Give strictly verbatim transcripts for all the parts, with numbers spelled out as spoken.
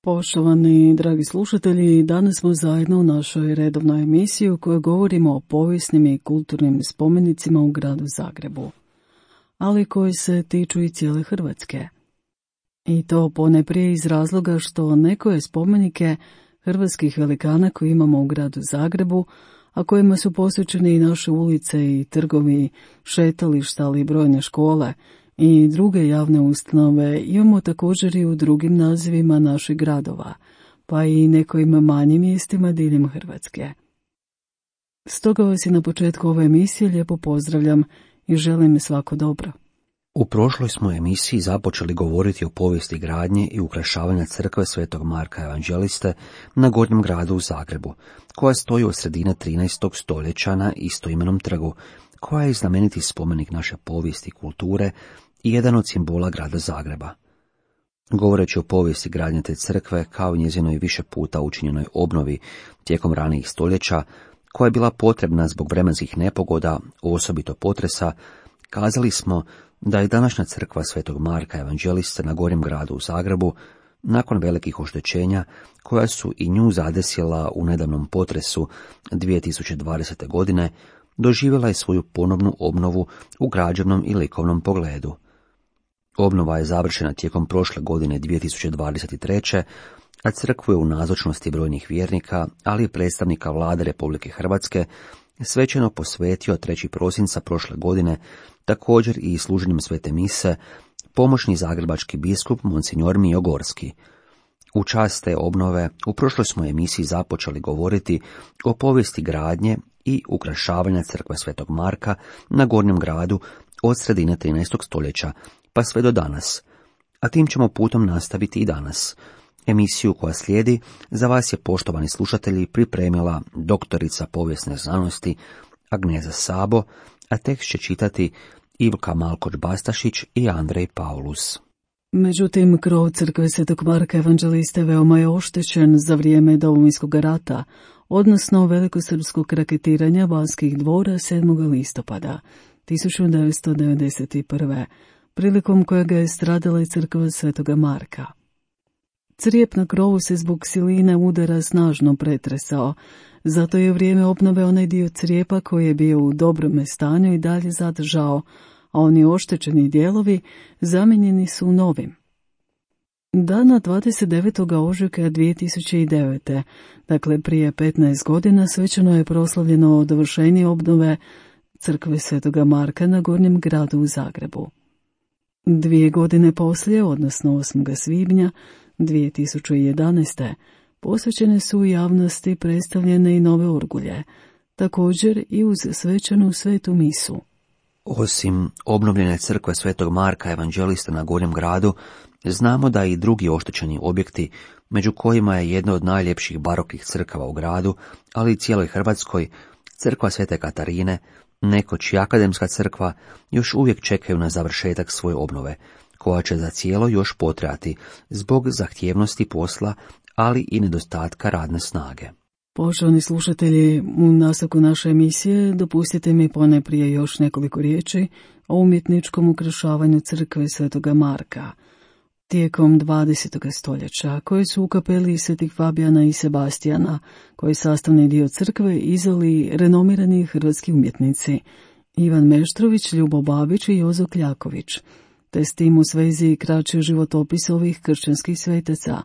Poštovani dragi slušatelji, danas smo zajedno u našoj redovnoj emisiji u kojoj govorimo o povijesnim i kulturnim spomenicima u gradu Zagrebu, ali koji se tiču i cijele Hrvatske. I to ponajprije iz razloga što nekoje spomenike hrvatskih velikana koje imamo u gradu Zagrebu, a kojima su posvećene i naše ulice i trgovi, šetališta, ali i brojne škole i druge javne ustanove, imamo također i u drugim nazivima naših gradova, pa i nekojim manjim mjestima diljem Hrvatske. Stoga vas i na početku ove emisije lijepo pozdravljam i želim svako dobro. U prošloj smo emisiji započeli govoriti o povijesti gradnje i ukrašavanja crkve Svetog Marka Evanđeliste na Gornjem gradu u Zagrebu, koja stoji od sredine trinaestog stoljeća na istoimenom trgu, koja je znameniti spomenik naše povijesti i kulture i jedan od simbola grada Zagreba. Govoreći o povijesti gradnje te crkve, kao i njezinoj više puta učinjenoj obnovi tijekom ranijih stoljeća, koja je bila potrebna zbog vremenskih nepogoda, osobito potresa, kazali smo da je današnja crkva Svetog Marka Evanđeliste na Gornjem gradu u Zagrebu, nakon velikih oštećenja koja su i nju zadesila u nedavnom potresu dvije tisuće dvadesete. godine, doživjela je svoju ponovnu obnovu u građevnom i likovnom pogledu. Obnova je završena tijekom prošle godine dvije tisuće dvadeset treće. a crkvu je u nazočnosti brojnih vjernika, ali i predstavnika vlade Republike Hrvatske, svečano posvetio trećeg prosinca prošle godine, također i služenjem svete mise, pomoćni zagrebački biskup Monsignor Mijo Gorski. U čast te obnove u prošloj smo emisiji započeli govoriti o povijesti gradnje i ukrašavanja crkve Svetog Marka na Gornjem gradu od sredine trinaestog stoljeća pa sve do danas, a tim ćemo putom nastaviti i danas. Emisiju koja slijedi za vas je, poštovani slušatelji, pripremila doktorica povijesne znanosti Agneza Sabo, a tekst će čitati Ivka Malkoč-Bastašić i Andrej Paulus. Međutim, krov crkve Svetog Marka Evanđeliste veoma je oštećen za vrijeme Domovinskog rata, odnosno velikosrpskog raketiranja Banskih dvora sedmog listopada tisuću devetsto devedeset prve. prilikom kojega je stradala i crkva Svetoga Marka. Crijep na krovu se zbog siline udara snažno pretresao, zato je u vrijeme obnove onaj dio crijepa koji je bio u dobrome stanju i dalje zadržao, a oni oštećeni dijelovi zamijenjeni su novim. Dana dvadeset devetog ožujka dvije tisuće devete. dakle prije petnaest godina, svečano je proslavljeno dovršenje obnove crkve Svetoga Marka na Gornjem gradu u Zagrebu. Dvije godine poslije, odnosno osmog svibnja dvije tisuće jedanaeste. posvećene su u javnosti predstavljene i nove orgulje, također i uz svečanu svetu misu. Osim obnovljene crkve Svetog Marka Evanđelista na Gornjem gradu, znamo da i drugi oštećeni objekti, među kojima je jedna od najljepših baroknih crkava u gradu, ali i cijeloj Hrvatskoj, crkva Svete Katarine, nekoć i akademska crkva, još uvijek čekaju na završetak svoje obnove, koja će za cijelo još potrajati zbog zahtjevnosti posla, ali i nedostatka radne snage. Poštovani slušatelji, u nastavku naše emisije dopustite mi ponajprije još nekoliko riječi o umjetničkom ukrašavanju crkve Svetoga Marka tijekom dvadesetog stoljeća, koje su u kapeli Svetih Fabijana i Sebastijana, koji je sastavni dio crkve, izveli renomirani hrvatski umjetnici Ivan Meštrović, Ljubo Babić i Jozo Kljaković, te s tim u svezi kraći životopis ovih kršćanskih svetaca,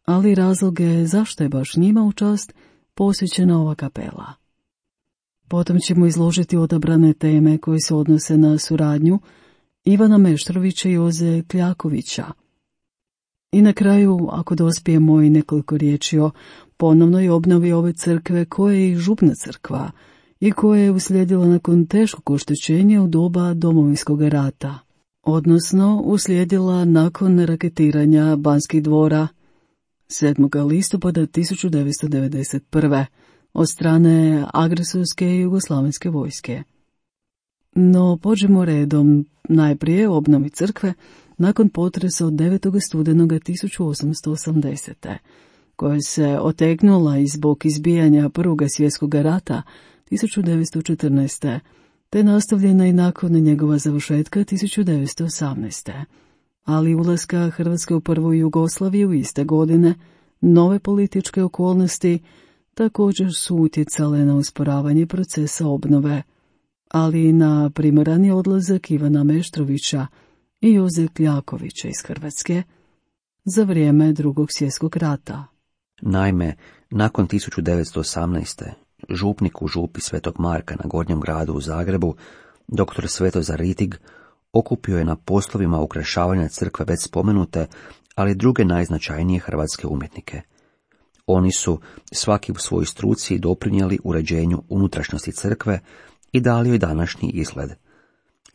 ali razloge zašto je baš njima u čast posvećena ova kapela. Potom ćemo izložiti odabrane teme koje se odnose na suradnju Ivana Meštrovića i Joze Kljakovića. I na kraju, ako dospijemo, i nekoliko riječi o ponovnoj obnovi ove crkve, koja je i župna crkva i koja je uslijedila nakon teškog oštećenja u doba Domovinskog rata, odnosno uslijedila nakon raketiranja Banskih dvora sedmog listopada tisuću devetsto devedeset prve. od strane agresorske jugoslavenske vojske. No, pođemo redom, najprije o obnovi crkve nakon potresa od devetog studenog tisuću osamsto osamdesete. koja se otegnula i zbog izbijanja Prvog svjetskog rata tisuću devetsto četrnaeste. te nastavljena i nakon njegova završetka tisuću devetsto osamnaeste. ali ulaska Hrvatske u prvu Jugoslaviju iste godine Nove političke okolnosti također su utjecale na usporavanje procesa obnove, ali i na primorani odlazak Ivana Meštrovića i Joze Kljakovića iz Hrvatske za vrijeme Drugog svjetskog rata. Naime, nakon tisuću devetsto osamnaeste. župnik u župi Svetog Marka na Gornjem gradu u Zagrebu, doktor Svetozar Ritig, okupio je na poslovima ukrašavanja crkve već spomenute, ali druge najznačajnije hrvatske umjetnike. Oni su svaki u svojoj struci doprinijeli uređenju unutrašnjosti crkve i dali joj današnji izgled.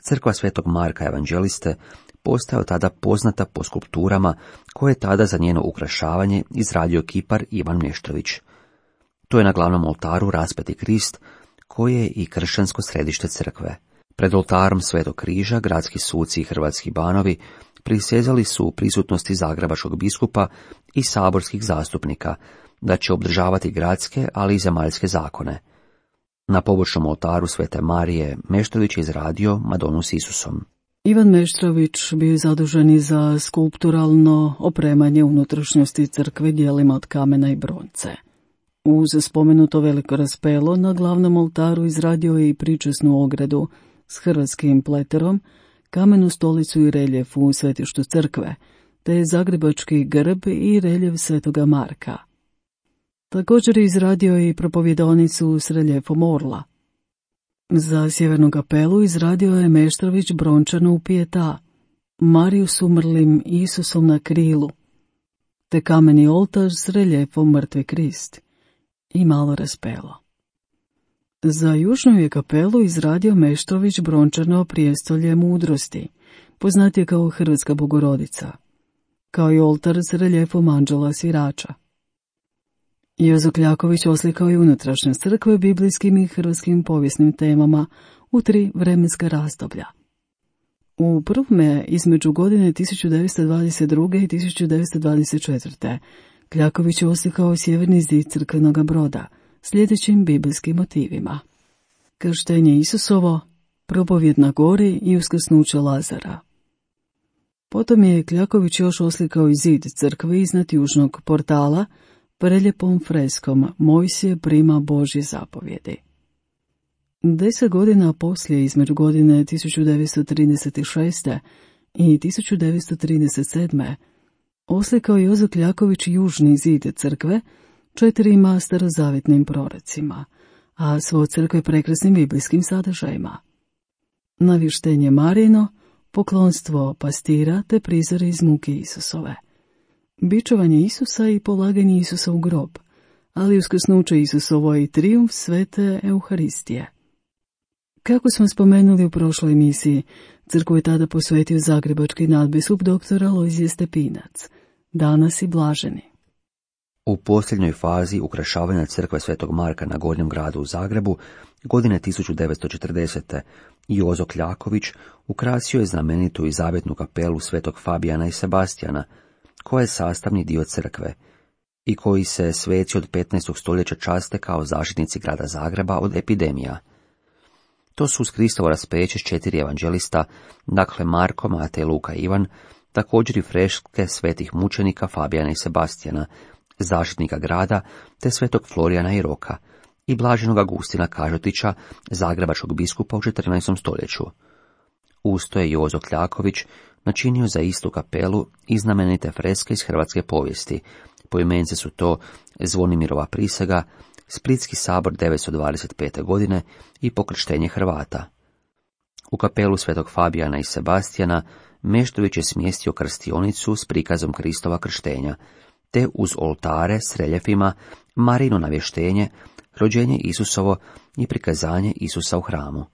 Crkva Svetog Marka Evanđeliste postao tada poznata po skulpturama koje je tada za njeno ukrašavanje izradio kipar Ivan Meštrović. To je na glavnom oltaru raspeti Krist, koji je i kršćansko središte crkve. Pred oltarom Svetog križa gradski suci i hrvatski banovi prisezali su u prisutnosti zagrebačkog biskupa i saborskih zastupnika da će obdržavati gradske, ali i zemaljske zakone. Na pobočnom oltaru Svete Marije Meštrović je izradio Madonu s Isusom. Ivan Meštrović bio je zadužen i za skulpturalno opremanje unutrašnjosti crkve dijelima od kamena i bronce. Uz spomenuto veliko raspelo na glavnom oltaru izradio je i pričesnu ogradu s hrvatskim pleterom, kamenu stolicu i reljef u svetištu crkve, te zagrebački grb i reljef Svetoga Marka. Također je izradio i propovjedonicu s reljefom orla. Za sjevernu kapelu izradio je Meštrović brončanu pijeta, Mariju s umrlim Isusom na krilu, te kameni oltar s reljefom Mrtvi Krist i malo raspelo. Za južnu je kapelu izradio Meštrović brončano prijestolje mudrosti, poznatije kao Hrvatska Bogorodica, kao i oltar s reljefom anđela svirača. Jozo Kljaković oslikao je unutrašnje crkve biblijskim i hrvatskim povijesnim temama u tri vremenska razdoblja. U prvome između godine tisuću devetsto dvadeset druge. i tisuću devetsto dvadeset četvrte. Kljaković je oslikao sjeverni zid crkvenoga broda, sljedećim biblijskim motivima: krštenje Isusovo, propovjed na gori i uskrsnuće Lazara. Potom je Kljaković još oslikao i zid crkve iznad južnog portala, preljepom freskom Mojsije prima Božje zapovjedi. Deset godina poslije, između godine tisuću devetsto trideset šeste. i tisuću devetsto trideset sedme. oslikao je Jozo Kljaković južni zid crkve četirima starozavjetnim prorocima, a svo crkve prekrasnim biblijskim sadržajima: navještenje Marijino, poklonstvo pastira te prizore iz muke Isusove, bičovanje Isusa i polaganje Isusa u grob, ali uskrsnuće Isusovo i trijumf svete Euharistije. Kako smo spomenuli u prošloj emisiji, crkvu je tada posvetio zagrebački nadbiskup dr. Alojzije Stepinac, danas i blaženi. U posljednjoj fazi ukrašavanja crkve Svetog Marka na Gornjem gradu u Zagrebu, godine tisuću devetsto četrdesete. Jozo Kljaković ukrasio je znamenitu i zavjetnu kapelu Svetog Fabijana i Sebastijana, koja je sastavni dio crkve i koji se sveci od petnaestog stoljeća časte kao zaštitnici grada Zagreba od epidemija. To su uz Kristovo raspeće s četiri evanđelista, dakle Marko, Matej, Luka i Ivan, također i freske svetih mučenika Fabijana i Sebastijana, zaštitnika grada, te svetog Florijana i Roka, i blaženog Agustina Kažotića, zagrebačkog biskupa u četrnaestom stoljeću. Usto je Jozo Kljaković načinio za istu kapelu i znamenite freske iz hrvatske povijesti. Poimence su to Zvonimirova prisega, Splitski sabor devetsto dvadeset pete. godine i pokrštenje Hrvata. U kapelu Svetog Fabijana i Sebastijana Meštrović je smjestio krstionicu s prikazom Kristova krštenja, te uz oltare s reljefima Marino navještenje, rođenje Isusovo i prikazanje Isusa u hramu.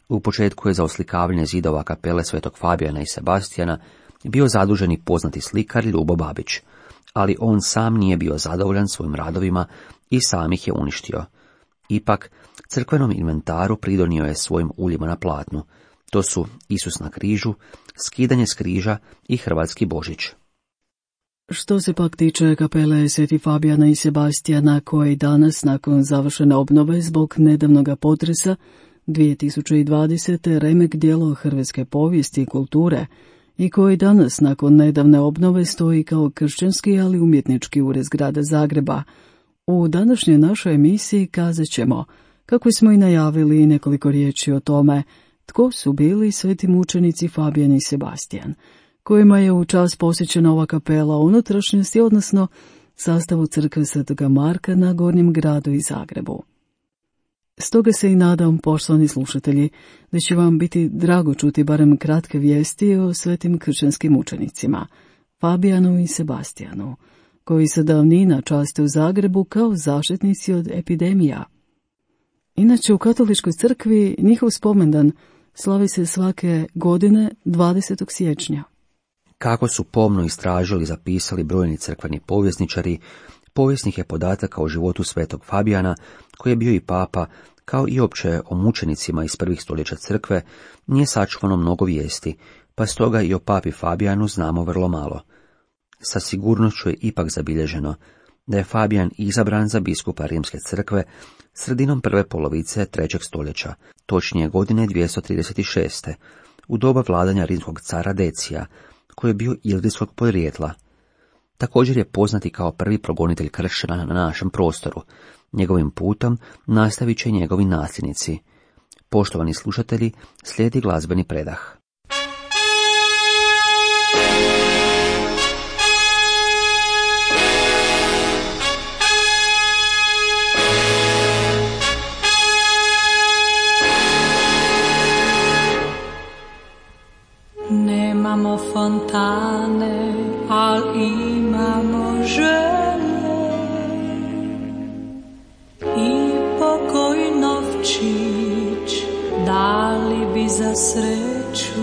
U početku je za oslikavanje zidova kapele Svetog Fabijana i Sebastijana bio zadužen i poznati slikar Ljubo Babić, ali on sam nije bio zadovoljan svojim radovima i sam ih je uništio. Ipak, crkvenom inventaru pridonio je svojim uljima na platnu. To su Isus na križu, skidanje s križa i Hrvatski Božić. Što se pak tiče kapele Sveti Fabijana i Sebastijana, koje danas, nakon završene obnove zbog nedavnog potresa dvije tisuće dvadesete. remek djelo hrvatske povijesti i kulture i koji danas nakon nedavne obnove stoji kao kršćanski, ali umjetnički ured grada Zagreba. U današnjoj našoj emisiji kazat ćemo, kako smo i najavili, nekoliko riječi o tome tko su bili sveti mučenici Fabijan i Sebastijan, kojima je u čast posjećena ova kapela unutrašnjosti, odnosno sastavu crkve Svetoga Marka na Gornjem gradu i Zagrebu. Stoga se i nadam, poštovani slušatelji, da će vam biti drago čuti barem kratke vijesti o svetim kršćanskim mučenicima, Fabijanu i Sebastijanu, koji se davnina časte u Zagrebu kao zaštitnici od epidemija. Inače, u katoličkoj crkvi njihov spomendan slavi se svake godine dvadesetog siječnja. Kako su pomno istražili i zapisali brojni crkveni povjesničari, povijesnih je podataka o životu svetog Fabijana, koji je bio i papa, kao i opće o mučenicima iz prvih stoljeća crkve, nije sačuvano mnogo vijesti, pa stoga i o papi Fabijanu znamo vrlo malo. Sa sigurnošću je ipak zabilježeno da je Fabijan izabran za biskupa Rimske crkve sredinom prve polovice trećeg stoljeća, točnije godine dvjesto trideset šest. u doba vladanja rimskog cara Decija, koji je bio ilrijskog podrijetla. Također je poznati kao prvi progonitelj kršćana na našem prostoru. Njegovim putom nastavit će njegovi nasljednici. Poštovani slušatelji, slijedi glazbeni predah. Nemamo fontane, al imamo želje i pokoji novčić dali bi za sreću.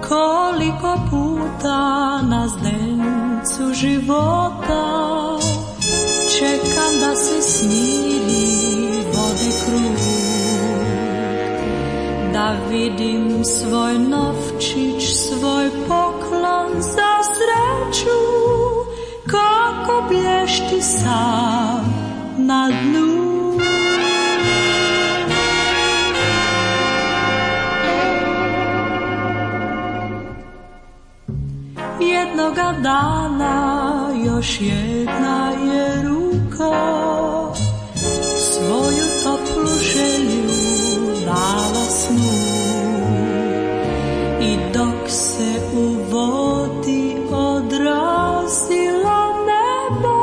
Koliko puta na zdencu života čekam da se smiri vode krug, da vidim svoj novčić, svoj poklon za sreću, kako blješti sam na dnu. Jednoga dana još jedna je ruka svoju toplu želju dala snu, i dok se u vodi odrazilo nebo,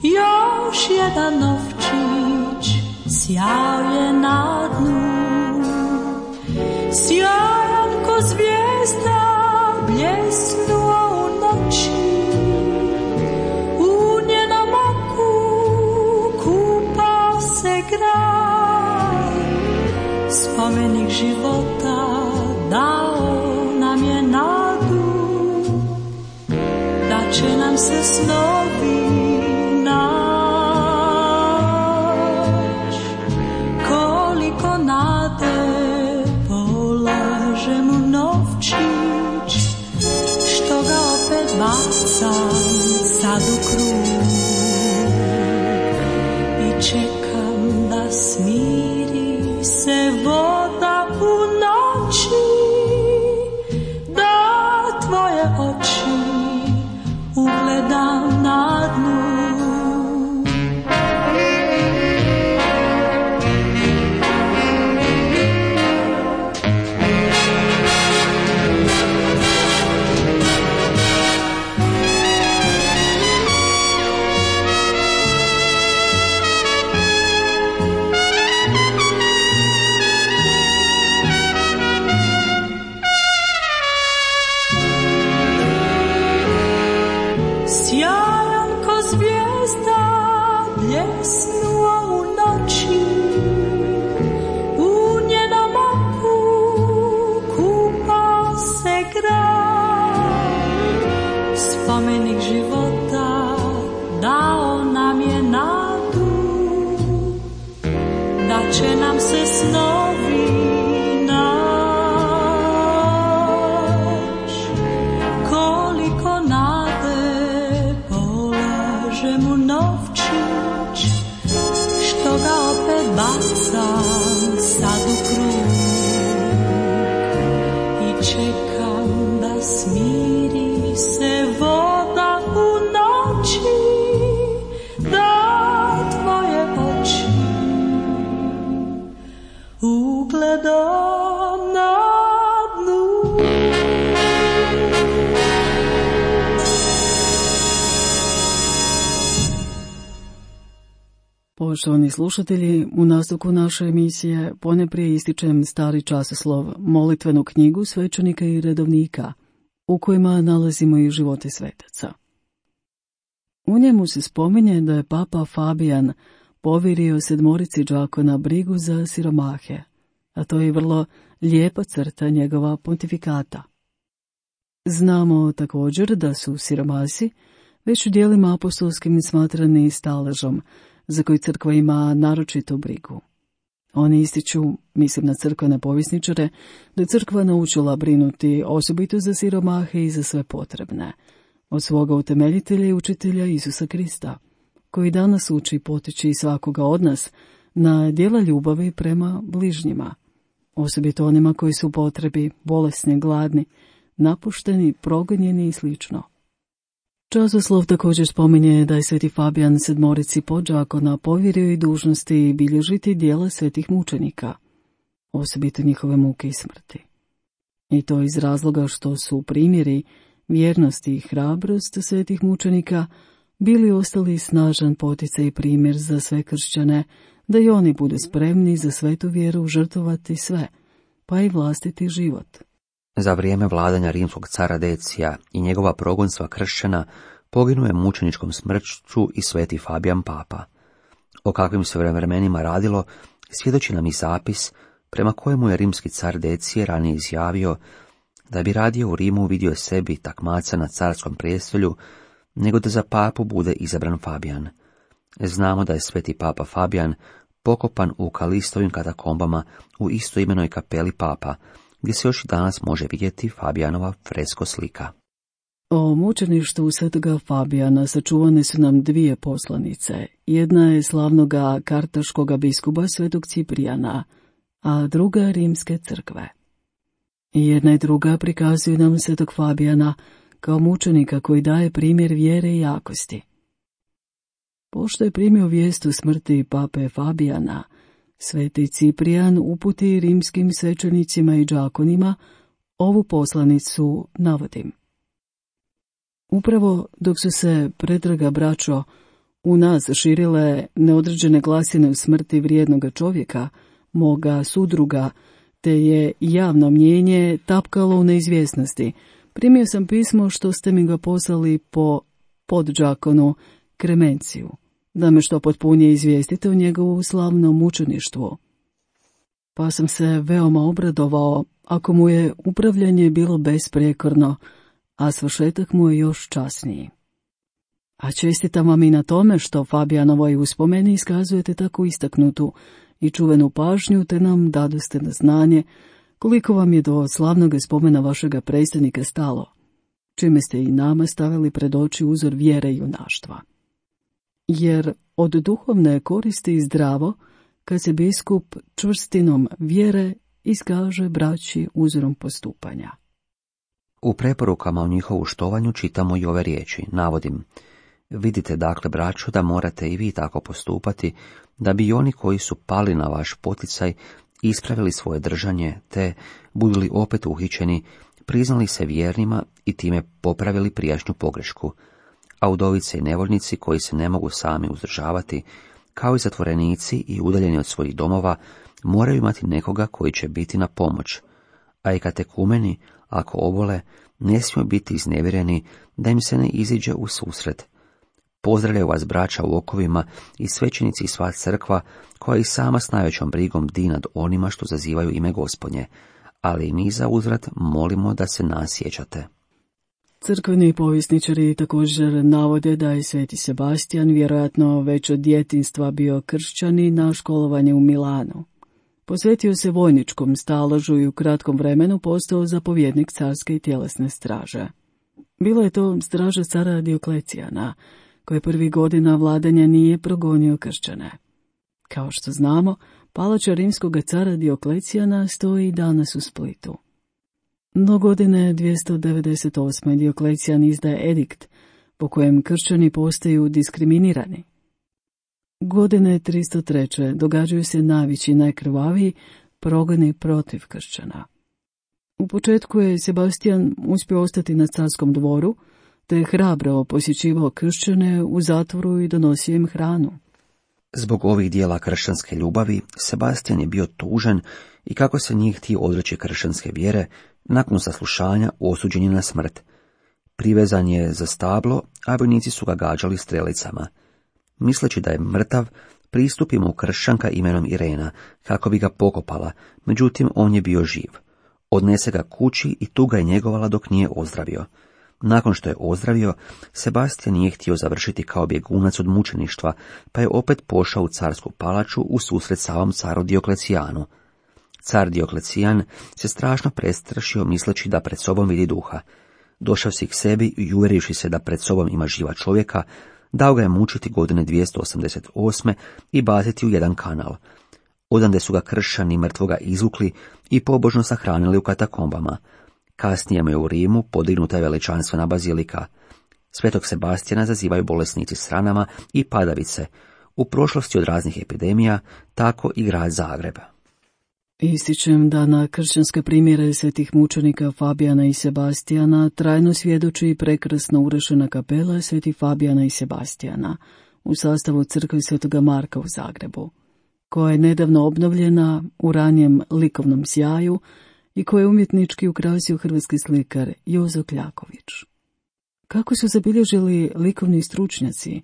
još jedan novčić sjao je na dnu. Sjajan ko zvijezda bljesnuo u noći, u njenom oku kupao se grad. Spomenik života dao nam je nadu, da će nam se snovi naći. Koliko nade polažem u novčić, što ga opet bacam sad u krug, i čekam da smiri se voda u noći, da tvoje oči ugledam na dnu. Spomenik života dao nam je nadu, da će nam se snovi naći. Koliko nade polažem u novčić, što ga opet bacam sad u krug, Poštovani slušatelji, u nastavku naše emisije poneprije ističem stari časoslov, molitvenu knjigu svećenika i redovnika, u kojima nalazimo i živote svetaca. U njemu se spominje da je papa Fabijan povjerio sedmorici đakona brigu za siromahe, a to je vrlo lijepa crta njegova pontifikata. Znamo također da su siromasi već u dijelima apostolskim smatrani staležom, za koji crkva ima naročitu brigu. Oni ističu, mislim na crkvene povjesničare, da je crkva naučila brinuti osobito za siromahe i za sve potrebne, od svoga utemeljitelja i učitelja Isusa Krista, koji danas uči i potiči svakoga od nas na djela ljubavi prema bližnjima, osobito onima koji su u potrebi, bolesni, gladni, napušteni, progonjeni i slično. Časoslov također spominje da je sveti Fabijan sedmorici podđakona povjerio i dužnosti bilježiti djela svetih mučenika, osobito njihove muke i smrti. I to iz razloga što su primjeri vjernosti i hrabrost svetih mučenika bili ostali snažan poticaj i primjer za sve kršćane, da i oni budu spremni za svetu vjeru žrtvovati sve, pa i vlastiti život. Za vrijeme vladanja rimskog cara Decija i njegova progonstva kršćana poginuo je mučeničkom smrću i sveti Fabijan papa. O kakvim se vremenima radilo svjedoči nam i zapis prema kojemu je rimski car Decije ranije izjavio da bi radije u Rimu vidio sebi takmaca na carskom prijestolju nego da za papu bude izabran Fabijan. Znamo da je sveti papa Fabijan pokopan u Kalistovim katakombama u istoimenoj kapeli papa, gdje se još danas može vidjeti Fabijanova fresko slika. O mučeništvu svetoga Fabijana sačuvane su nam dvije poslanice. Jedna je slavnoga kartaškoga biskupa svetog Ciprijana, a druga rimske crkve. I jedna i druga prikazuju nam svetog Fabijana kao mučenika koji daje primjer vjere i jakosti. Pošto je primio vijest o smrti pape Fabijana, sveti Ciprijan uputi rimskim svećenicima i đakonima ovu poslanicu navodim. Upravo dok su se, pretraga braćo, u nas širile neodređene glasine u smrti vrijednoga čovjeka, moga sudruga, te je javno mnjenje tapkalo u neizvjesnosti, primio sam pismo što ste mi ga poslali po podđakonu Kremenciju, da me što potpunije izvijestite o njegovu slavnom mučeništvu. Pa sam se veoma obradovao, ako mu je upravljanje bilo besprijekorno, a svršetak mu je još časniji. A čestitam vam i na tome što Fabijanovoj uspomeni iskazujete tako istaknutu i čuvenu pažnju, te nam dadoste na znanje koliko vam je do slavnog spomena vašega predstavnika stalo, čime ste i nama stavili pred oči uzor vjere i junaštva. Jer od duhovne koristi i zdravo, kad se biskup čvrstinom vjere iskaže braći uzorom postupanja. U preporukama o njihovu štovanju čitamo i ove riječi, navodim: vidite dakle, braćo, da morate i vi tako postupati, da bi oni koji su pali na vaš poticaj ispravili svoje držanje, te, budu li opet uhićeni, priznali se vjernima i time popravili prijašnju pogrešku, a udovice i nevoljnici koji se ne mogu sami uzdržavati, kao i zatvorenici i udaljeni od svojih domova, moraju imati nekoga koji će biti na pomoć, a i katekumeni, ako obole, ne smiju biti iznevjereni da im se ne iziđe u susret. Pozdravljaju vas braća u okovima i svećenici i sva crkva, koja i sama s najvećom brigom bdi nad onima što zazivaju ime Gospodnje, ali i mi za uzvrat molimo da se nas sjećate. Crkveni povjesničari također navode da je sveti Sebastijan vjerojatno već od djetinjstva bio kršćanin na školovanje u Milanu. Posvetio se vojničkom staložu i u kratkom vremenu postao zapovjednik carske i tjelesne straže. Bila je to straža cara Dioklecijana, koji prvi godina vladanja nije progonio kršćane. Kao što znamo, palača rimskog cara Dioklecijana stoji i danas u Splitu. No godine dvjesto devedeset osme. Dioklecijan izdaje edikt po kojem kršćani postaju diskriminirani. Godine tristo treće. događaju se najveći i najkrvaviji progoni protiv kršćana. U početku je Sebastijan uspio ostati na carskom dvoru, te je hrabro posjećivao kršćane u zatvoru i donosio im hranu. Zbog ovih dijela kršćanske ljubavi, Sebastijan je bio tužan i kako se njih htio odreći kršćanske vjere, nakon saslušanja osuđen je na smrt. Privezan je za stablo, a vojnici su ga gađali strelicama. Misleći da je mrtav, pristupi mu kršćanka imenom Irena, kako bi ga pokopala, međutim on je bio živ. Odnese ga kući i tu ga je njegovala dok nije ozdravio. Nakon što je ozdravio, Sebastijan nije htio završiti kao bjegunac od mučeništva, pa je opet pošao u carsku palaču u susret samom caru Dioklecijanu. Car Dioklecijan se strašno prestrašio misleći da pred sobom vidi duha. Došao si k sebi i uvjerivši se da pred sobom ima živa čovjeka, dao ga je mučiti godine dvjesto osamdeset osme i baciti u jedan kanal. Odande su ga kršćani mrtvoga izvukli i pobožno sahranili u katakombama. Kasnije mu je u Rimu podignuta je veličanstvena bazilika. Svetog Sebastijana zazivaju bolesnici s ranama i padavice, u prošlosti od raznih epidemija, tako i grad Zagreb. Ističem da na kršćanske primjere svetih mučenika Fabijana i Sebastijana trajno svjedoči i prekrasno urešena kapela svetih Fabijana i Sebastijana u sastavu crkve Svetoga Marka u Zagrebu, koja je nedavno obnovljena u ranijem likovnom sjaju i koje je umjetnički ukrasio hrvatski slikar Jozo Kljaković. Kako su zabilježili likovni stručnjaci,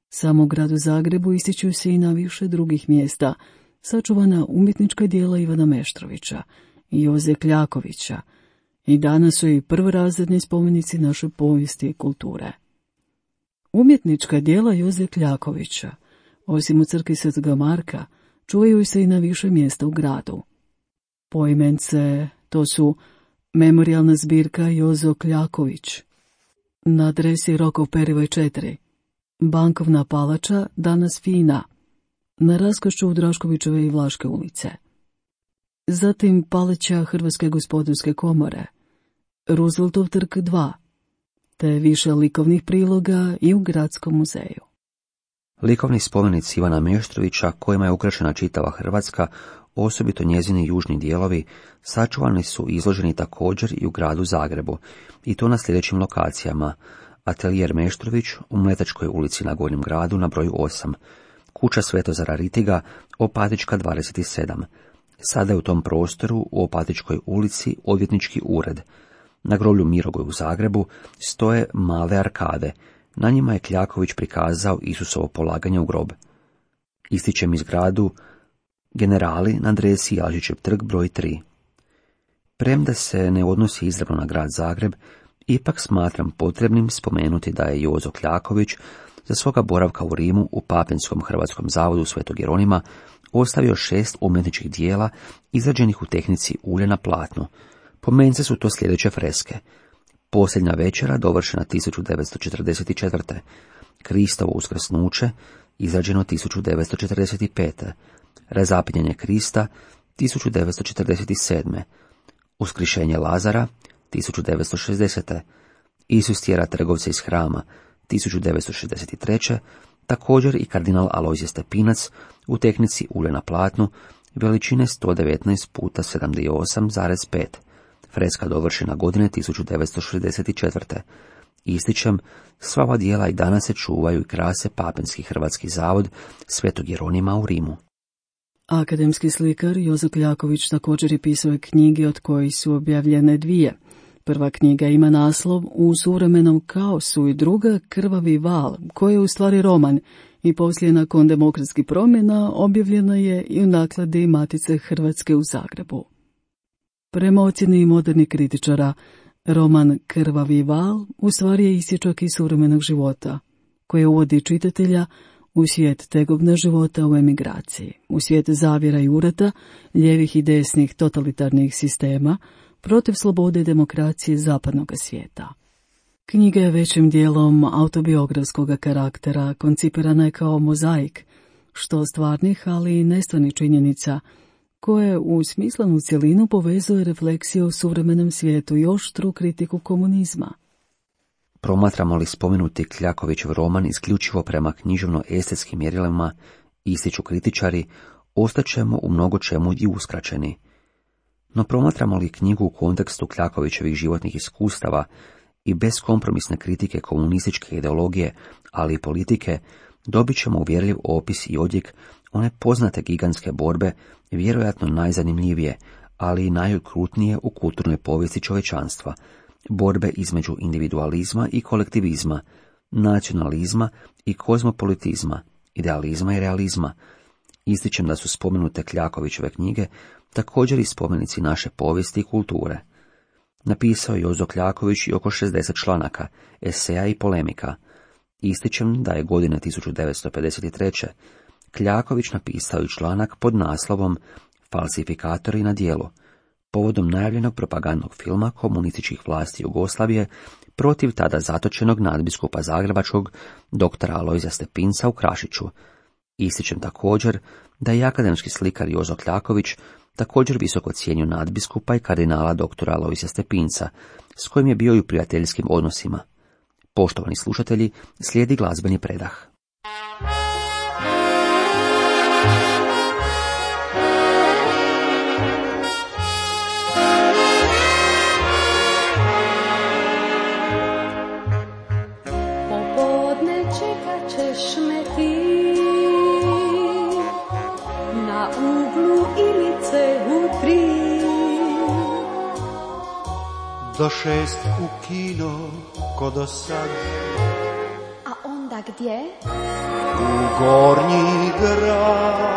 samo u gradu Zagrebu ističu se i na više drugih mjesta sačuvana umjetnička djela Ivana Meštrovića i Joze Kljakovića i danas su i prvorazredni spomenici naše povijesti i kulture. Umjetnička djela Joze Kljakovića, osim u crkvi Svetoga Marka, čuvaju se i na više mjesta u gradu. Poimence to su memorijalna zbirka Jozo Kljaković na adresi Rokov Perivoj četiri, Bankovna palača, danas Fina, na raskošću Draškovićeve i Vlaške ulice. Zatim Paleća Hrvatske gospodarske komore, Rooseveltov trg dva, te više likovnih priloga i u Gradskom muzeju. Likovni spomenici Ivana Meštrovića, kojima je ukrašena čitava Hrvatska, osobito njezini južni dijelovi, sačuvani su i izloženi također i u gradu Zagrebu, i to na sljedećim lokacijama: Atelijer Meštrović u Mletačkoj ulici na Gornjem gradu na broju osam, kuća Svetozara Ritiga, Opatička dvadeset sedam. Sada je u tom prostoru u Opatičkoj ulici odvjetnički ured. Na groblju Mirogoj u Zagrebu stoje male arkade. Na njima je Kljaković prikazao Isusovo polaganje u grob. Ističem iz gradu Generali na adresi Jalžićev trg broj tri. Premda se ne odnosi izravno na grad Zagreb, ipak smatram potrebnim spomenuti da je Jozo Kljaković za svoga boravka u Rimu u Papinskom hrvatskom zavodu Svetog Jeronima ostavio šest umjetničkih dijela izrađenih u tehnici ulja na platnu. Pomence su to sljedeće freske: Posljednja večera, dovršena tisuću devetsto četrdeset četvrte. Kristovo uskrsnuće, izrađeno tisuću devetsto četrdeset pete. Razapinjanje Krista, tisuću devetsto četrdeset sedme. Uskrišenje Lazara, tisuću devetsto šezdesete. Isus tjera trgovce iz hrama, tisuću devetsto šezdeset treće. Također i kardinal Alojzije Stepinac u tehnici ulja na platnu, veličine sto devetnaest puta sedamdeset osam zarez pet. Freska dovršena godine tisuću devetsto šezdeset četvrte. Ističem, sva ova dijela i danas se čuvaju i krase Papinski hrvatski zavod Svetog Jeronima u Rimu. Akademski slikar Jozo Kljaković također je pisao knjige od kojih su objavljene dvije. Prva knjiga ima naslov U suvremenom kaosu i druga Krvavi val, koji je u stvari roman i poslije nakon demokratskih promjena objavljena je i u nakladi Matice Hrvatske u Zagrebu. Prema ocjeni modernih kritičara, roman Krvavi val u stvari je isječak iz suvremenog života, koji uvodi čitatelja u svijet tegobna života u emigraciji, u svijet zavjera i urata, lijevih i desnih totalitarnih sistema, protiv slobode i demokracije zapadnog svijeta. Knjiga je većim dijelom autobiografskog karaktera, koncipirana je kao mozaik, što stvarnih, ali i nestvarnih činjenica, koje u smislenu cjelinu povezuje refleksije o suvremenom svijetu i oštru kritiku komunizma. Promatramo li spomenuti Kljakovićev roman isključivo prema književno-estetskim mjerilima, ističu kritičari, ostaćemo u mnogo čemu i uskraćeni. No promatramo li knjigu u kontekstu Kljakovićevih životnih iskustava i bez kompromisne kritike komunističke ideologije, ali i politike, dobit ćemo uvjerljiv opis i odjek one poznate gigantske borbe, vjerojatno najzanimljivije, ali i najokrutnije u kulturnoj povijesti čovječanstva, borbe između individualizma i kolektivizma, nacionalizma i kozmopolitizma, idealizma i realizma. Ističem da su spomenute Kljakovićeve knjige također i spomenici naše povijesti i kulture. Napisao je Jozo Kljaković i oko šezdeset članaka, eseja i polemika. Ističem da je godine tisuću devetsto pedeset treće. Kljaković napisao i članak pod naslovom Falsifikatori na djelu, povodom najavljenog propagandnog filma komunističkih vlasti Jugoslavije protiv tada zatočenog nadbiskupa zagrebačkog doktora Alojzija Stepinca u Krašiću. Ističem također da je akademski slikar Jozo Kljaković također visoko cijenio nadbiskupa i kardinala doktora Alojzija Stepinca, s kojim je bio i u prijateljskim odnosima. Poštovani slušatelji, slijedi glazbeni predah. Popodne čekat ćeš me ti na uglu Ilice u tri. Do šest u kino ko do sad. A onda gdje? U Gornji grad.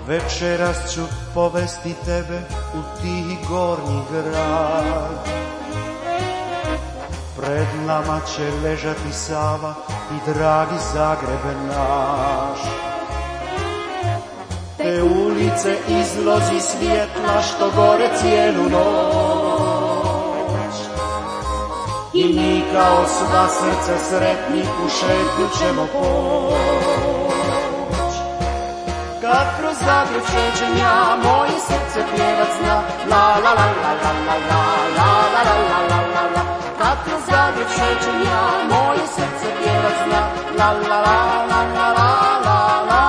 Večeras ću povesti tebe u tihi Gornji grad. Pred nama će ležati Sava i dragi Zagreb naš. Te ulice izlozi svjetla što gore cijelu noć. I mi kao sva srca sretni u šetnju ćemo poć. Kad kroz Zagreb šećem ja, moje srce pjevat zna. La la la la la la la la la la la la la. Kad kroz Zagreb šećem ja, moje srce pjevat zna. La la la la la la la la.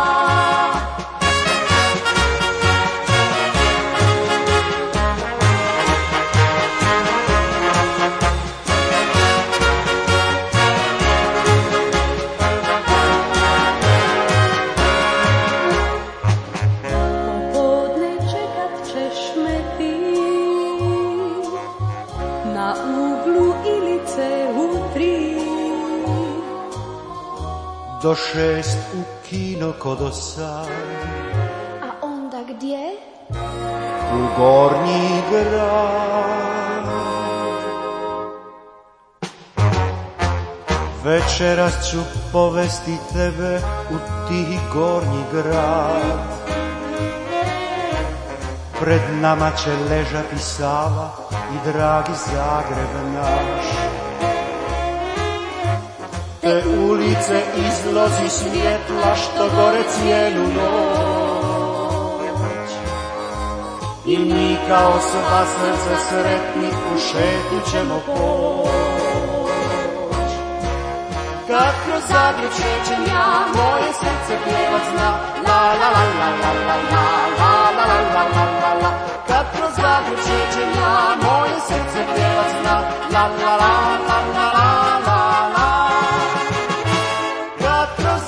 Do šest u kino ko do sad. A onda gdje? U Gornji grad. Večeras ću povesti tebe u tihi Gornji grad. Pred nama će ležati Sava i dragi Zagreb naš. Te ulice izlozi svjetla što gore cijelu noć. I mi kao sva srca sretni u šetnju ćemo poć. Kad kroz Zagreb šećem ja, moje srce pjevat zna. La la la la la la la la la la la la la. Kad kroz Zagreb šećem ja, moje srce pjevat zna. La la la la la la la la.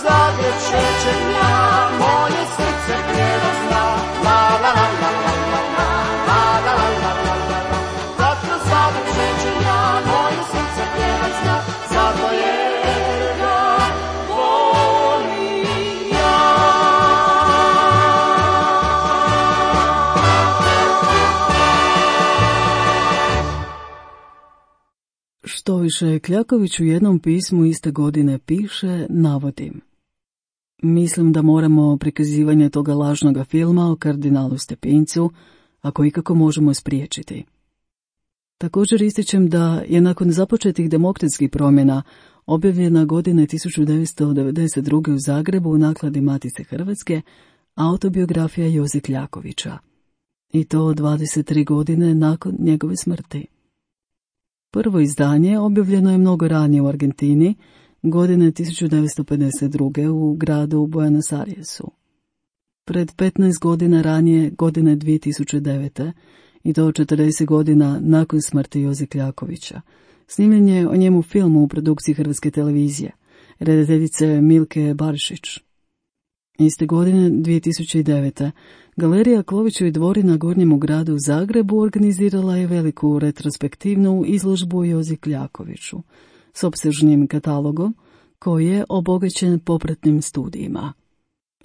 Zagreb šećem ja, moje srce pjevat zna. La la la la la la la la la la la la. Kad kroz Zagreb šećem ja, moje srce pjevat zna. Zato jer ga volim ja. Štoviše, Kljaković u jednom pismu iste godine piše, navodim: mislim da moramo prikazivanje toga lažnoga filma o kardinalu Stepincu, ako ikako možemo spriječiti. Također ističem da je nakon započetih demokratskih promjena objavljena godine tisuću devetsto devedeset druge u Zagrebu u nakladi Matice Hrvatske autobiografija Joze Kljakovića. I to dvadeset tri godine nakon njegove smrti. Prvo izdanje objavljeno je mnogo ranije u Argentini, godine tisuću devetsto pedeset druge u gradu Buenos Airesu. Pred petnaest godina ranije, godine dvije tisuće devete, i to četrdeset godina nakon smrti Joze Kljakovića, Snimljen je o njemu film u produkciji Hrvatske televizije, redateljice Milke Barišić. Iste godine, dvije tisuće devete. Galerija Klovićevi dvori na Gornjemu gradu u Zagrebu organizirala je veliku retrospektivnu izložbu Jozi Kljakoviću s opsežnim katalogom koji je obogaćen popratnim studijima.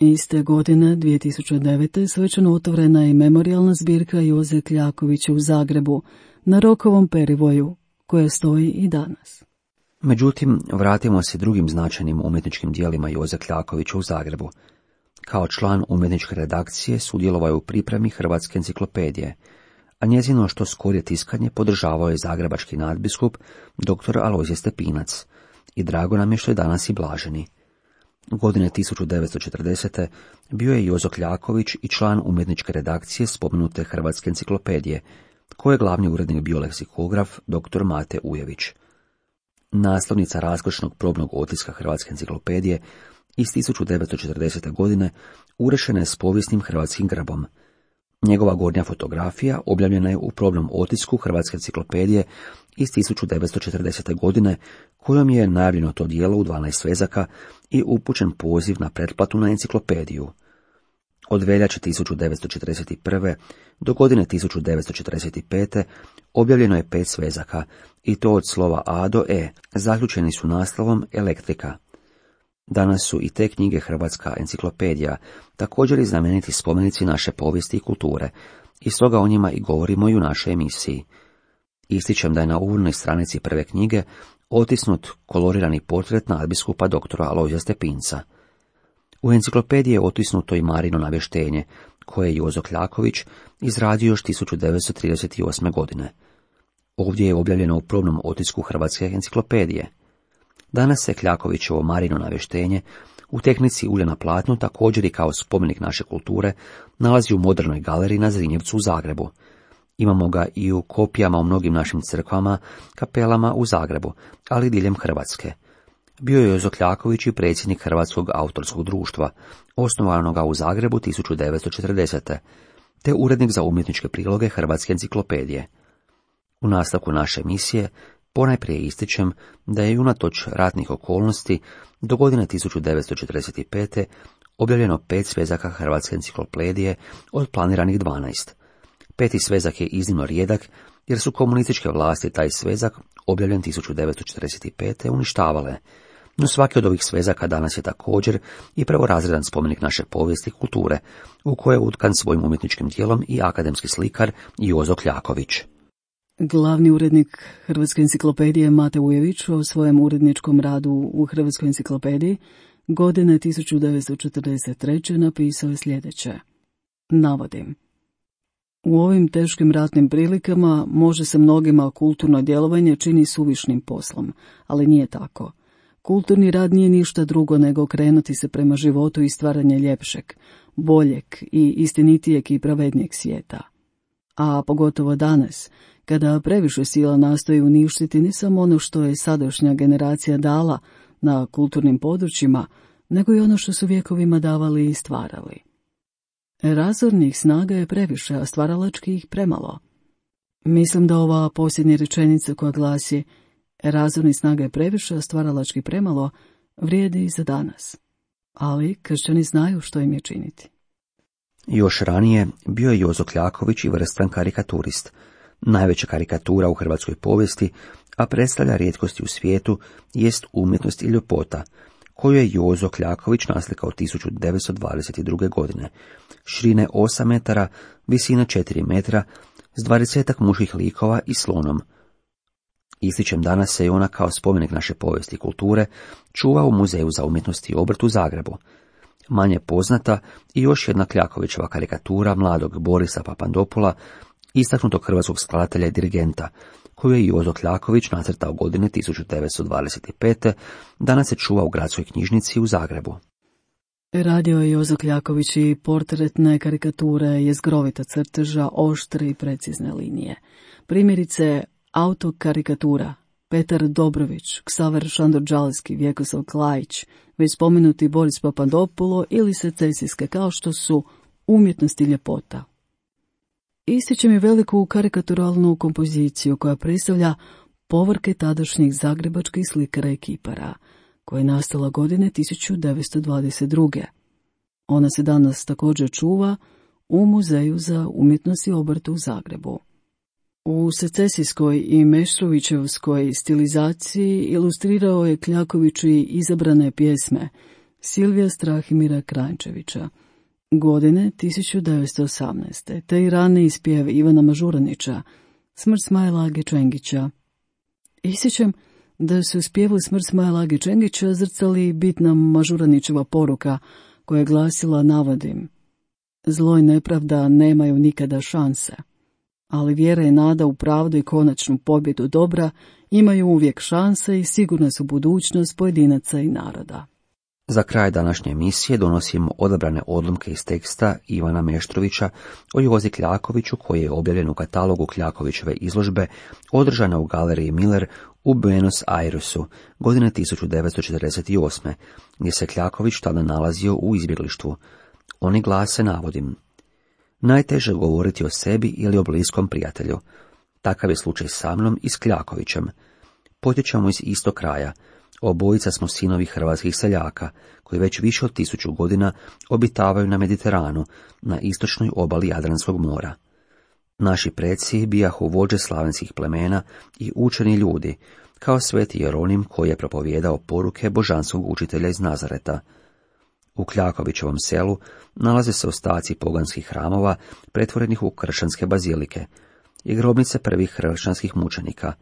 Iste godine, dvije tisuće devete. svečano otvorena je memorijalna zbirka Joze Kljakovića u Zagrebu na Rokovom perivoju, koja stoji i danas. Međutim, vratimo se drugim značajnim umjetničkim dijelima Joze Kljakovića u Zagrebu. Kao član umjetničke redakcije sudjelovao je u pripremi Hrvatske enciklopedije, a njezino što skorije tiskanje podržavao je zagrebački nadbiskup dr. Alojzije Stepinac i drago nam je što je danas i blaženi. Godine tisuću devetsto četrdesete. bio je Jozo Kljaković i član umjetničke redakcije spomenute Hrvatske enciklopedije, koje je glavni urednik bio leksikograf dr. Mate Ujević. Naslovnica raskošnog probnog otiska Hrvatske enciklopedije iz tisuću devetsto četrdesete. godine urešena je s povijesnim hrvatskim grbom. Njegova gornja fotografija objavljena je u probnom otisku Hrvatske enciklopedije iz tisuću devetsto četrdesete. godine, kojom je najavljeno to djelo u dvanaest svezaka i upućen poziv na pretplatu na enciklopediju. Od veljače tisuću devetsto četrdeset prve. do godine tisuću devetsto četrdeset pete. objavljeno je pet svezaka, i to od slova A do E, zaključeni su naslovom Elektrika. Danas su i te knjige Hrvatska enciklopedija, također i znameniti spomenici naše povijesti i kulture, i stoga o njima i govorimo i u našoj emisiji. Ističem da je na uvodnoj stranici prve knjige otisnut kolorirani portret nadbiskupa doktora Alojzija Stepinca. U enciklopediji je otisnuto i Marino navještenje, koje je Jozo Kljaković izradio još tisuću devetsto trideset osme. godine. Ovdje je objavljeno u probnom otisku Hrvatske enciklopedije. Danas se Kljakovićevo Marino navještenje u tehnici ulja na platnu, također i kao spomenik naše kulture, nalazi u modernoj galeriji na Zrinjevcu u Zagrebu. Imamo ga i u kopijama u mnogim našim crkvama, kapelama u Zagrebu, ali i diljem Hrvatske. Bio je Jozo Kljaković i predsjednik Hrvatskog autorskog društva, osnovanoga u Zagrebu tisuću devetsto četrdesete. te urednik za umjetničke priloge Hrvatske enciklopedije. U nastavku naše emisije ponajprije ističem da je unatoč ratnih okolnosti do godine tisuću devetsto četrdeset pete. objavljeno pet svezaka Hrvatske enciklopedije od planiranih dvanaest. Peti svezak je iznimno rijedak, jer su komunističke vlasti taj svezak, objavljen tisuću devetsto četrdeset pete. uništavale. No svaki od ovih svezaka danas je također i prvorazredan spomenik naše povijesti i kulture, u koje je utkan svojim umjetničkim dijelom i akademski slikar Jozo Kljaković. Glavni urednik Hrvatske enciklopedije Mate Ujević o svojem uredničkom radu u Hrvatskoj enciklopediji godine tisuću devetsto četrdeset treće. napisao je sljedeće. Navodim. U ovim teškim ratnim prilikama može se mnogima kulturno djelovanje čini suvišnim poslom, ali nije tako. Kulturni rad nije ništa drugo nego okrenuti se prema životu i stvaranje ljepšeg, boljeg i istinitijeg i pravednijeg svijeta. A pogotovo danas, kada previše sila nastoji uništiti ne samo ono što je sadašnja generacija dala na kulturnim područjima, nego i ono što su vjekovima davali i stvarali. Razornih snaga je previše, a stvaralačkih premalo. Mislim da ova posljednja rečenica koja glasi razornih snaga je previše, a stvaralački premalo, vrijedi i za danas. Ali kršćani znaju što im je činiti. Još ranije bio je Jozo Kljaković i vrstan karikaturist, najveća karikatura u hrvatskoj povijesti, a predstavlja rijetkosti u svijetu, jest umjetnost i ljepota, koju je Jozo Kljaković naslikao tisuću devetsto dvadeset druge. godine, širine osam metara, visine četiri metra, s dvadesetak muških likova i slonom. Ističem danas se i ona kao spomenik naše povijesti i kulture čuva u Muzeju za umjetnost i obrt u Zagrebu. Manje poznata i još jedna Kljakovićeva karikatura mladog Borisa Papandopula, istaknutog hrvatskog skladatelja i dirigenta, koju je Jozo Kljaković nacrtao godine tisuću devetsto dvadeset pete. danas se čuva u gradskoj knjižnici u Zagrebu. Radio je Jozo Kljaković i portretne karikature, jezgrovita crteža, oštre i precizne linije. Primjerice, autokarikatura, Petar Dobrović, Ksaver Šandor-Đalski, Vjekoslav Klajić, već spomenuti Boris Papandopulo ili secesijske, kao što su umjetnost i ljepota. Ističem i veliku karikaturalnu kompoziciju koja predstavlja povorke tadašnjih zagrebačkih slikara i kipara, koja je nastala godine tisuću devetsto dvadeset druge. Ona se danas također čuva u Muzeju za umjetnost i obrt u Zagrebu. U secesijskoj i Meštrovićevskoj stilizaciji ilustrirao je Kljakoviću i izabrane pjesme Silvija Strahimira Kranjčevića, godine tisuću devetsto osamnaeste. te i raniji spjev Ivana Mažuranića, Smrt Smajla Age Čengića. Ističem da su u spjevu Smrt Smajla Age Čengića zrcali bitna Mažuranićeva poruka koja je glasila, navodim: zlo i nepravda nemaju nikada šanse, ali vjera i nada u pravdu i konačnu pobjedu dobra imaju uvijek šanse i sigurna su budućnost pojedinaca i naroda. Za kraj današnje emisije donosimo odabrane odlomke iz teksta Ivana Meštrovića o Jozi Kljakoviću, koji je objavljen u katalogu Kljakovićeve izložbe održana u galeriji Miller u Buenos Airesu godine tisuću devetsto četrdeset osme. gdje se Kljaković tada nalazio u izbjeglištvu. Oni glase, navodim: najteže je govoriti o sebi ili o bliskom prijatelju. Takav je slučaj sa mnom i s Kljakovićem. Potječemo iz istog kraja. Obojica smo sinovi hrvatskih seljaka, koji već više od tisuću godina obitavaju na Mediteranu, na istočnoj obali Jadranskog mora. Naši preci bijahu vođe slavenskih plemena i učeni ljudi, kao sveti Jeronim koji je propovijedao poruke božanskog učitelja iz Nazareta. U Kljakovićevom selu nalaze se ostaci poganskih hramova pretvorenih u kršćanske bazilike i grobnice prvih kršćanskih mučenika.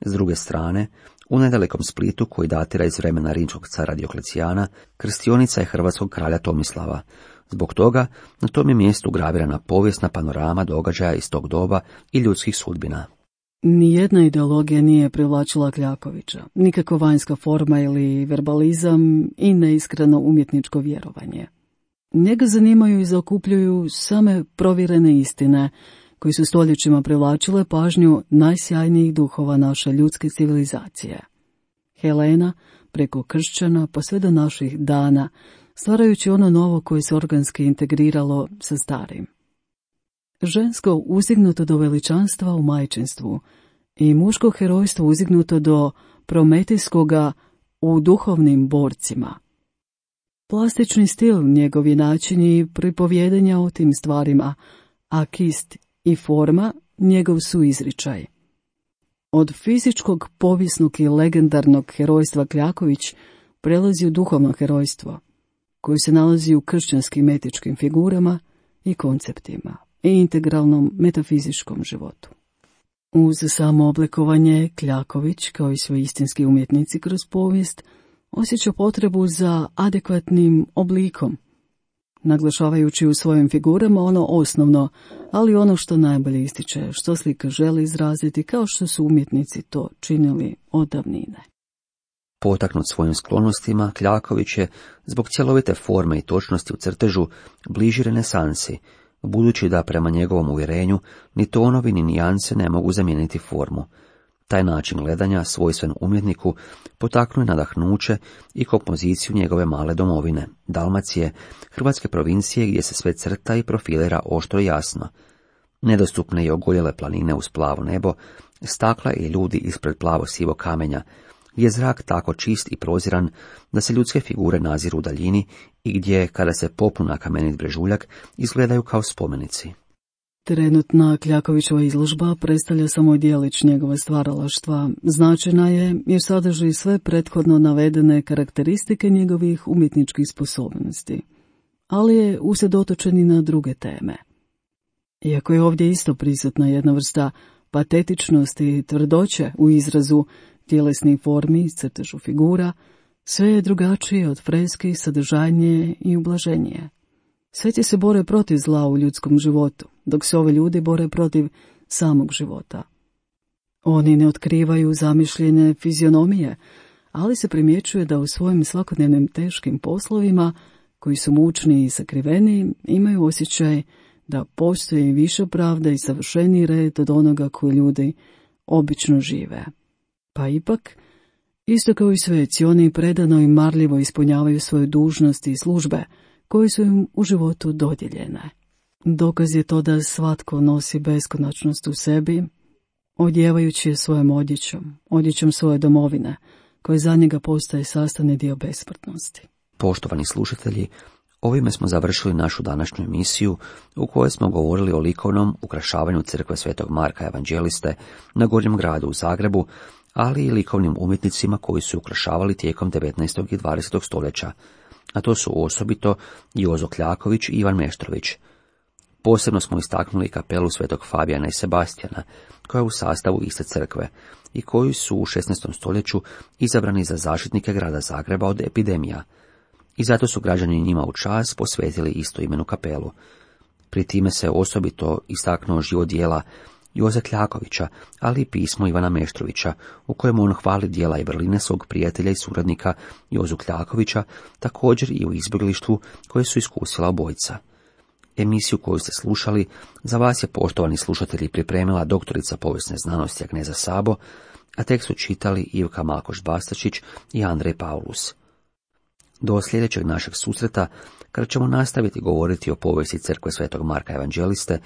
S druge strane, u nedalekom Splitu, koji datira iz vremena rimskog cara Dioklecijana, krstionica je hrvatskog kralja Tomislava. Zbog toga na tom je mjestu gravirana povijesna panorama događaja iz tog doba i ljudskih sudbina. Nijedna ideologija nije privlačila Kljakovića, nikakva vanjska forma ili verbalizam i neiskreno umjetničko vjerovanje. Njega zanimaju i zaokupljuju same provjerene istine, koji su stoljećima privlačile pažnju najsjajnijih duhova naše ljudske civilizacije. Helena, preko kršćana pa sve do naših dana, stvarajući ono novo koje se organski integriralo sa starim. Žensko uzdignuto do veličanstva u majčinstvu i muško herojstvo uzdignuto do prometejskoga u duhovnim borcima. Plastični stil njegov je način i pripovjedanja o tim stvarima, a kist i forma njegov su izričaj. Od fizičkog, povijesnog i legendarnog herojstva Kljaković prelazi u duhovno herojstvo, koji se nalazi u kršćanskim etičkim figurama i konceptima i integralnom metafizičkom životu. Uz samo oblikovanje, Kljaković, kao i svi istinski umjetnici kroz povijest, osjeća potrebu za adekvatnim oblikom, naglašavajući u svojim figurama ono osnovno, ali ono što najbolje ističe, što slika želi izraziti, kao što su umjetnici to činili od davnine. Potaknut svojim sklonostima, Kljaković je, zbog cjelovite forme i točnosti u crtežu, bliži renesansi, budući da prema njegovom uvjerenju ni tonovi ni nijanse ne mogu zamijeniti formu. Taj način gledanja, svojstven umjetniku, potaknuo je nadahnuće i kompoziciju njegove male domovine, Dalmacije, hrvatske provincije gdje se sve crta i profilira oštro i jasno. Nedostupne i ogoljele planine uz plavo nebo, stakla i ljudi ispred plavo sivo kamenja, gdje je zrak tako čist i proziran da se ljudske figure naziru u daljini i gdje, kada se popnu na kamenit brežuljak, izgledaju kao spomenici. Trenutna Kljakovićeva izložba predstavlja samo djelić njegove stvaralaštva. Značajna je jer sadrži sve prethodno navedene karakteristike njegovih umjetničkih sposobnosti, ali je usredotočen i na druge teme. Iako je ovdje isto prisutna jedna vrsta patetičnosti i tvrdoće u izrazu tjelesnih formi i crtežu figura, sve je drugačije od freski, sadržajnije i ublaženije. Sveci se bore protiv zla u ljudskom životu, dok se ovi ljudi bore protiv samog života. Oni ne otkrivaju zamišljene fizionomije, ali se primjećuje da u svojim svakodnevnim teškim poslovima, koji su mučni i sakriveni, imaju osjećaj da postoji više pravda i savršeniji red od onoga koji ljudi obično žive. Pa ipak, isto kao i sveci, oni predano i marljivo ispunjavaju svoju dužnost i službe, koje su im u životu dodijeljene. Dokaz je to da svatko nosi beskonačnost u sebi, odjevajući je svojom odjećom, odjećom svoje domovine, koji za njega postaje sastavni dio besmrtnosti. Poštovani slušatelji, ovime smo završili našu današnju emisiju u kojoj smo govorili o likovnom ukrašavanju crkve Svetog Marka Evanđeliste na Gornjem gradu u Zagrebu, ali i likovnim umjetnicima koji su ukrašavali tijekom devetnaestog i dvadesetog stoljeća, a to su osobito Jozo Kljaković i Ivan Meštrović. Posebno smo istaknuli kapelu Svetog Fabijana i Sebastijana, koja je u sastavu iste crkve i koji su u šesnaestom stoljeću izabrani za zaštitnike grada Zagreba od epidemija. I zato su građani njima u čast posvetili istoimenu kapelu. Pri time se osobito istaknuo život djela Joze Kljakovića, ali i pismo Ivana Meštrovića, u kojem on hvali djela i vrline svog prijatelja i suradnika Jozu Kljakovića, također i u izbjeglištvu koje su iskusila obojica. Emisiju koju ste slušali za vas je, poštovani slušatelji, pripremila doktorica povijesne znanosti Agneza Sabo, a tekst su čitali Ivka Malkoš-Bastačić i Andrej Paulus. Do sljedećeg našeg susreta, kada ćemo nastaviti govoriti o povijesti crkve Svetog Marka Evanđeliste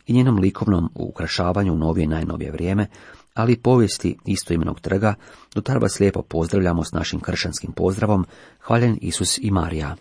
i njenom likovnom ukrašavanju u novije i najnovije vrijeme, ali i povijesti istoimenog trga, do tada vas lijepo pozdravljamo s našim kršćanskim pozdravom: Hvaljen Isus i Marija.